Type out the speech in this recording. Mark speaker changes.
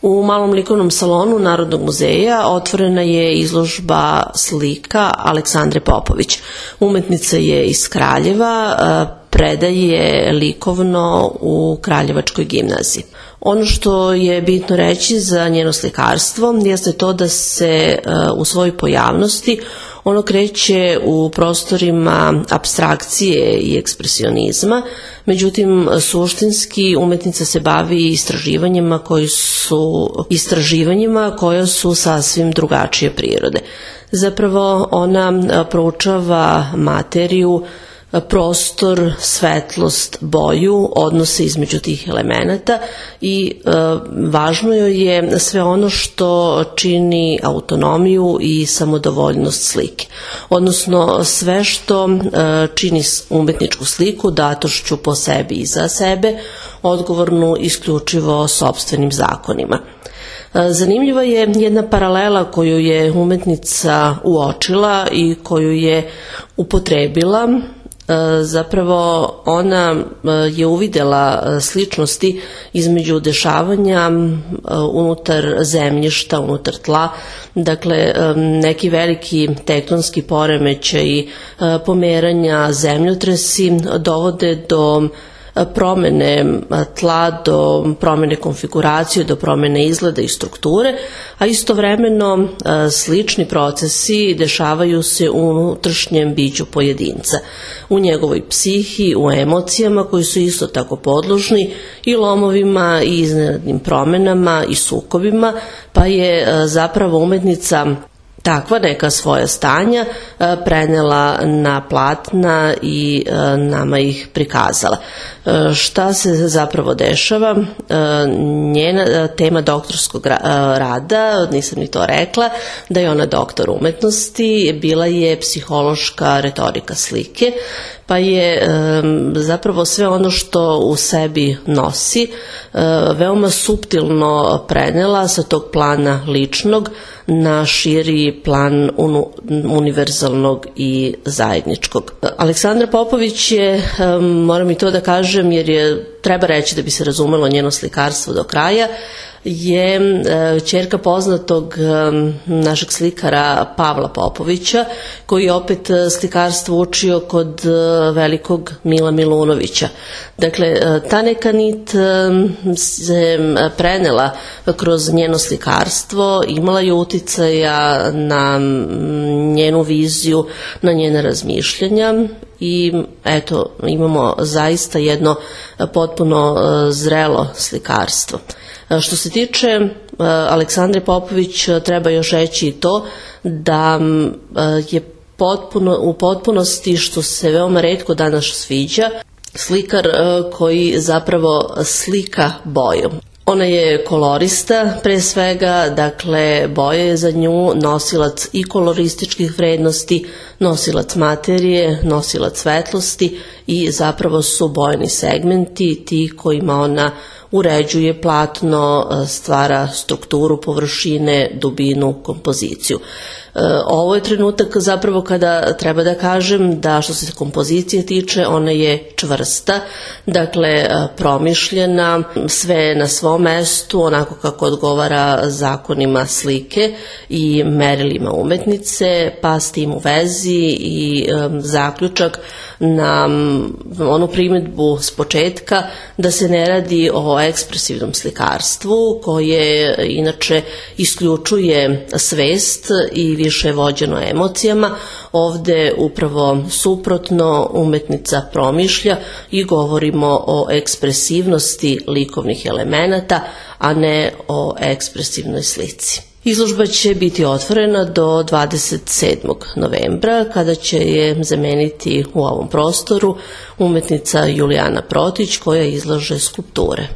Speaker 1: U Malom likovnom salonu Narodnog muzeja otvorena je izložba slika Aleksandre Popović. Umetnica je iz Kraljeva, predaje likovno u Kraljevačkoj gimnaziji. Ono što je bitno reći za njeno slikarstvo jeste to da se u svojoj pojavnosti ono kreće u prostorima apstrakcije i ekspresionizma, međutim suštinski umetnica se bavi istraživanjima koja su sasvim drugačije prirode. Zapravo ona proučava materiju, prostor, svetlost, boju, odnose između tih elemenata i važno joj je sve ono što čini autonomiju i samodovoljnost slike, odnosno sve što čini umetničku sliku datošću po sebi i za sebe, odgovornu isključivo sopstvenim zakonima. Zanimljiva je jedna paralela koju je umetnica uočila i koju je upotrebila. Zapravo ona je uvidela sličnosti između dešavanja unutar zemljišta, unutar tla, dakle neki veliki tektonski poremećaji, pomeranja, zemljotresi dovode do promene tla, do promene konfiguracije, do promene izgleda i strukture, a istovremeno slični procesi dešavaju se u unutrašnjem biću pojedinca, u njegovoj psihi, u emocijama koji su isto tako podložni i lomovima i iznenadnim promenama i sukobima, pa je zapravo umetnica takva neka svoja stanja prenela na platna i nama ih prikazala. Šta se zapravo dešava? Njena tema doktorskog rada, nisam ni to rekla, da je ona doktor umetnosti, bila je psihološka retorika slike, pa je zapravo sve ono što u sebi nosi veoma suptilno prenela sa tog plana ličnog na širi plan univerzalnog i zajedničkog. Aleksandra Popović je, moram i to da kažem jer treba reći da bi se razumelo njeno slikarstvo do kraja, je ćerka poznatog našeg slikara Pavla Popovića, koji je opet slikarstvo učio kod velikog Mila Milunovića. Dakle, ta neka nit se prenela kroz njeno slikarstvo, imala je uticaja na njenu viziju, na njena razmišljanja i eto, imamo zaista jedno potpuno zrelo slikarstvo. Što se tiče Aleksandre Popović, treba još reći i to da je u potpunosti, što se veoma retko danas sviđa, slikar koji zapravo slika bojom. Ona je kolorista pre svega, dakle boja je za nju nosilac i kolorističkih vrednosti, nosilac materije, nosilac svetlosti i zapravo su bojni segmenti ti kojima ona uređuje platno, stvara strukturu, površine, dubinu, kompoziciju. Ovo je trenutak zapravo kada treba da kažem da što se kompozicije tiče, ona je čvrsta, dakle promišljena, sve na svom mestu, onako kako odgovara zakonima slike i merilima umetnice, pa s tim u vezi i zaključak na onu primedbu s početka da se ne radi o ekspresivnom slikarstvu koje inače isključuje svest i više vođeno emocijama. Ovde upravo suprotno, umetnica promišlja i govorimo o ekspresivnosti likovnih elemenata, a ne o ekspresivnoj slici. Izložba će biti otvorena do 27. novembra, kada će je zameniti u ovom prostoru umetnica Julijana Protić koja izlaže skulpture.